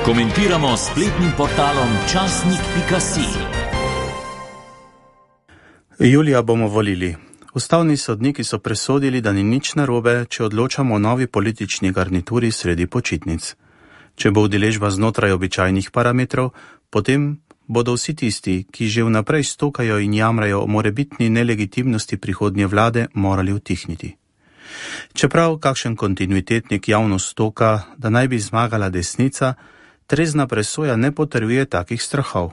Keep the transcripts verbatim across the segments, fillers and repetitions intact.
Komentiramo s spletnim portalom časnik pika si. Julija bomo volili. Ustavni sodniki so presodili, da ni nič narobe, če odločamo o novi politični garnituri sredi počitnic. Če bo udeležba znotraj običajnih parametrov, potem bodo vsi tisti, ki že vnaprej stokajo in jamrajo o morebitni nelegitimnosti prihodnje vlade, morali utihniti. Čeprav kakšen kontinuitetnik javno stoka, da naj bi zmagala desnica, trezna presoja ne potrjuje takih strahov.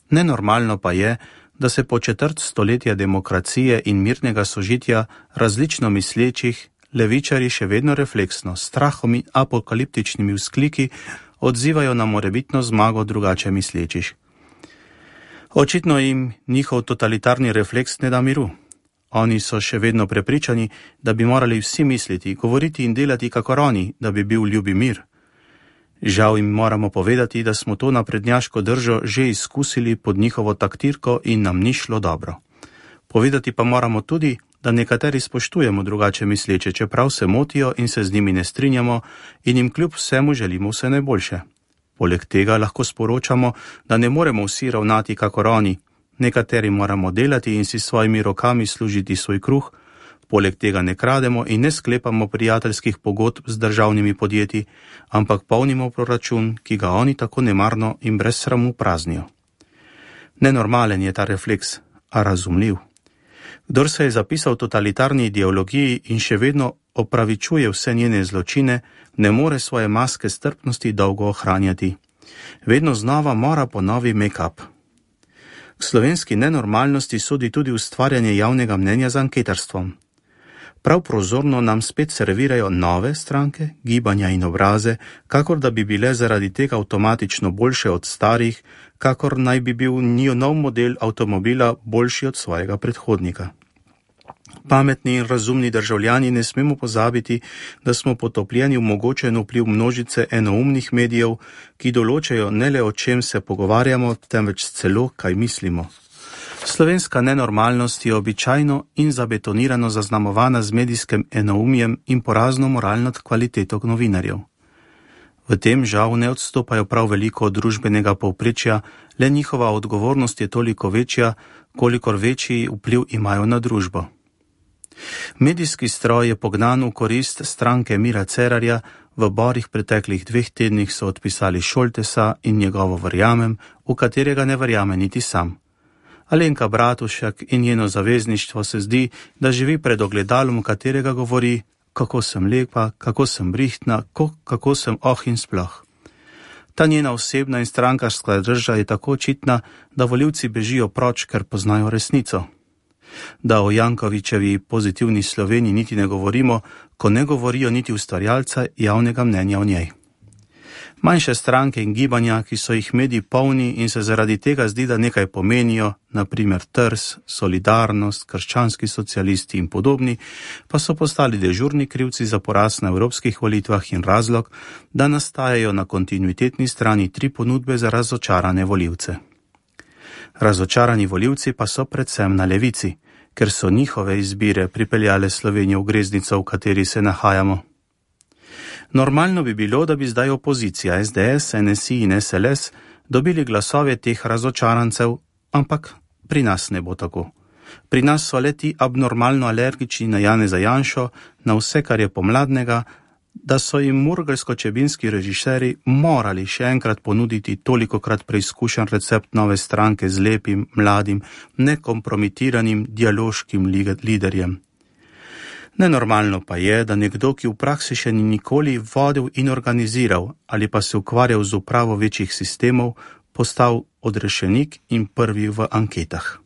Nenormalno pa je, da se po četrt stoletja demokracije in mirnega sožitja različno mislečih levičari še vedno refleksno, s strahom in apokaliptičnimi vzkliki odzivajo na morebitno zmago drugače mislečih. Očitno jim njihov totalitarni refleks ne da miru. Oni so še vedno prepričani, da bi morali vsi misliti, govoriti in delati kakor oni, da bi bil ljubi mir. Žal jim moramo povedati, da smo to naprednjaško držo že izkusili pod njihovo taktirko in nam ni šlo dobro. Povedati pa moramo tudi, da nekateri spoštujemo drugače misleče, čeprav se motijo in se z njimi ne strinjamo in jim kljub vsemu želimo vse najboljše. Poleg tega lahko sporočamo, da ne moremo vsi ravnati kakor oni. Nekateri moramo delati in si svojimi rokami služiti svoj kruh, poleg tega ne krademo in ne sklepamo prijateljskih pogodb z državnimi podjetji, ampak polnimo proračun, ki ga oni tako nemarno in brez sramu praznijo. Nenormalen je ta refleks, a razumljiv. Kdor se je zapisal totalitarni ideologiji in še vedno opravičuje vse njene zločine, ne more svoje maske strpnosti dolgo ohranjati. Vedno znova mora ponovi make-up. K slovenski nenormalnosti sodi tudi ustvarjanje javnega mnenja z anketarstvom. Prav prozorno nam spet servirajo nove stranke, gibanja in obraze, kakor da bi bile zaradi tega avtomatično boljše od starih, kakor naj bi bil njihov nov model avtomobila boljši od svojega predhodnika. Pametni in razumni državljani ne smemo pozabiti, da smo potopljeni v mogočen vpliv množice enoumnih medijev, ki določajo ne le o čem se pogovarjamo, temveč celo kaj mislimo. Slovenska nenormalnost je običajno in zabetonirano zaznamovana z medijskim enoumjem in porazno moralno kvaliteto novinarjev. V tem žal ne odstopajo prav veliko od družbenega povprečja, le njihova odgovornost je toliko večja, kolikor večji vpliv imajo na družbo. Medijski stroj je pognan v korist stranke Mira Cerarja, v borih preteklih dveh tednih so odpisali Šoltesa in njegovo Verjamem, v katerega ne verjame niti sam. Alenka Bratušek in njeno zavezništvo se zdi, da živi pred ogledalom, v katerega govori, kako sem lepa, kako sem brihtna, kako sem oh in sploh. Ta njena osebna in strankarska drža je tako očitna, da volivci bežijo proč, ker poznajo resnico. Da o Jankovićevi pozitivni Sloveniji niti ne govorimo, ko ne govorijo niti ustvarjalca javnega mnenja o njej. Manjše stranke in gibanja, ki so jih mediji polni in se zaradi tega zdi, da nekaj pomenijo, na primer Trs, Solidarnost, krščanski socialisti in podobni, pa so postali dežurni krivci za poraz na evropskih volitvah in razlog, da nastajajo na kontinuitetni strani tri ponudbe za razočarane volivce. Razočarani volivci pa so predvsem na levici, ker so njihove izbire pripeljale Slovenijo v greznico, v kateri se nahajamo. Normalno bi bilo, da bi zdaj opozicija es de es, en es i in es el es dobili glasove teh razočarancev, ampak pri nas ne bo tako. Pri nas so le ti abnormalno alergični na Janeza Janšo, na vse, kar je pomladnega, da so jim murgelsko-čebinski režiserji morali še enkrat ponuditi tolikokrat preizkušen recept nove stranke z lepim, mladim, nekompromitiranim dialoškim liderjem. Nenormalno pa je, da nekdo, ki v praksi še ni nikoli vodil in organiziral ali pa se ukvarjal z upravo večjih sistemov, postal odrešenik in prvi v anketah.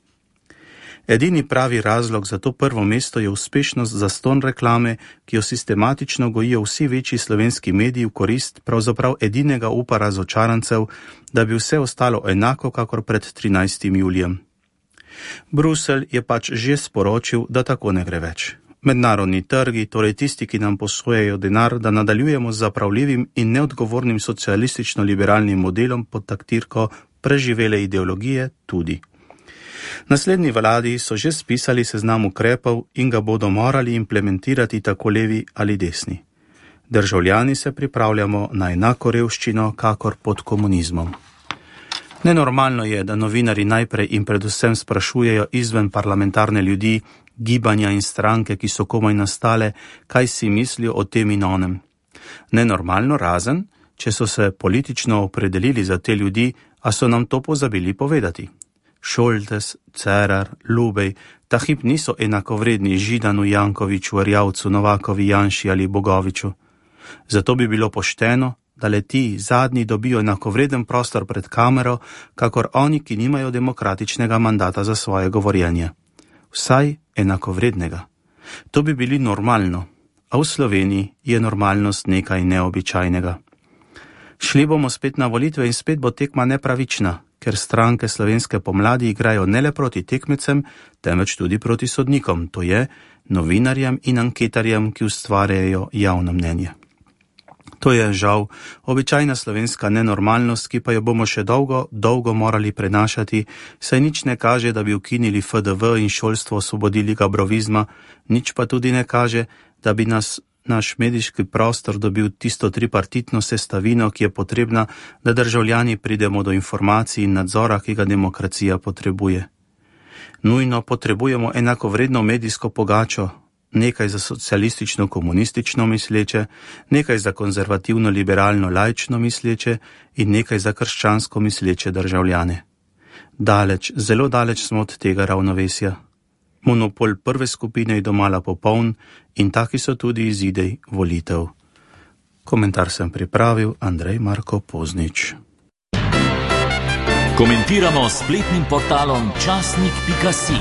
Edini pravi razlog za to prvo mesto je uspešnost zastonj reklame, ki jo sistematično gojijo vsi večji slovenski mediji v korist pravzaprav edinega upa razočarancev, da bi vse ostalo enako kakor pred trinajstim julijem. Bruselj je pač že sporočil, da tako ne gre več. Mednarodni trgi, torej tisti, ki nam posojajo denar, da nadaljujemo z zapravljivim in neodgovornim socialistično-liberalnim modelom pod taktirko preživele ideologije, tudi. Naslednji vladi so že spisali seznam ukrepov in ga bodo morali implementirati tako levi ali desni. Državljani se pripravljamo na enako revščino, kakor pod komunizmom. Nenormalno je, da novinari najprej in predvsem sprašujejo izven parlamentarne ljudi, gibanja in stranke, ki so komaj nastale, kaj si mislijo o tem in onem. Nenormalno razen, če so se politično opredelili za te ljudi, a so nam to pozabili povedati. Šoltes, Cerar, Lubej, ta hip niso enakovredni Židanu, Jankoviču, Erjavcu, Novakovi, Janši ali Bogoviču. Zato bi bilo pošteno, da le ti zadnji dobijo enakovreden prostor pred kamero, kakor oni, ki nimajo demokratičnega mandata za svoje govorjenje. Vsaj enakovrednega. To bi bili normalno, a v Sloveniji je normalnost nekaj neobičajnega. Šli bomo spet na volitve in spet bo tekma nepravična, ker stranke slovenske pomladi igrajo ne le proti tekmecem, temveč tudi proti sodnikom, to je novinarjem in anketarjem, ki ustvarjajo javno mnenje. To je žal običajna slovenska nenormalnost, ki pa jo bomo še dolgo, dolgo morali prenašati, saj nič ne kaže, da bi ukinili F D V in šolstvo osvobodili gabrovizma, nič pa tudi ne kaže, da bi nas naš medijski prostor dobil tisto tripartitno sestavino, ki je potrebna, da državljani pridemo do informacij in nadzora, ki ga demokracija potrebuje. Nujno potrebujemo enakovredno medijsko pogačo, nekaj za socialistično-komunistično misleče, nekaj za konzervativno-liberalno-laično misleče in nekaj za krščansko misleče državljane. Daleč, zelo daleč smo od tega ravnovesja. Monopol prve skupine je domala popoln in taki so tudi izidi volitev. Komentar sem pripravil Andrej Marko Poznič. Komentiramo s spletnim portalom časnik pika si.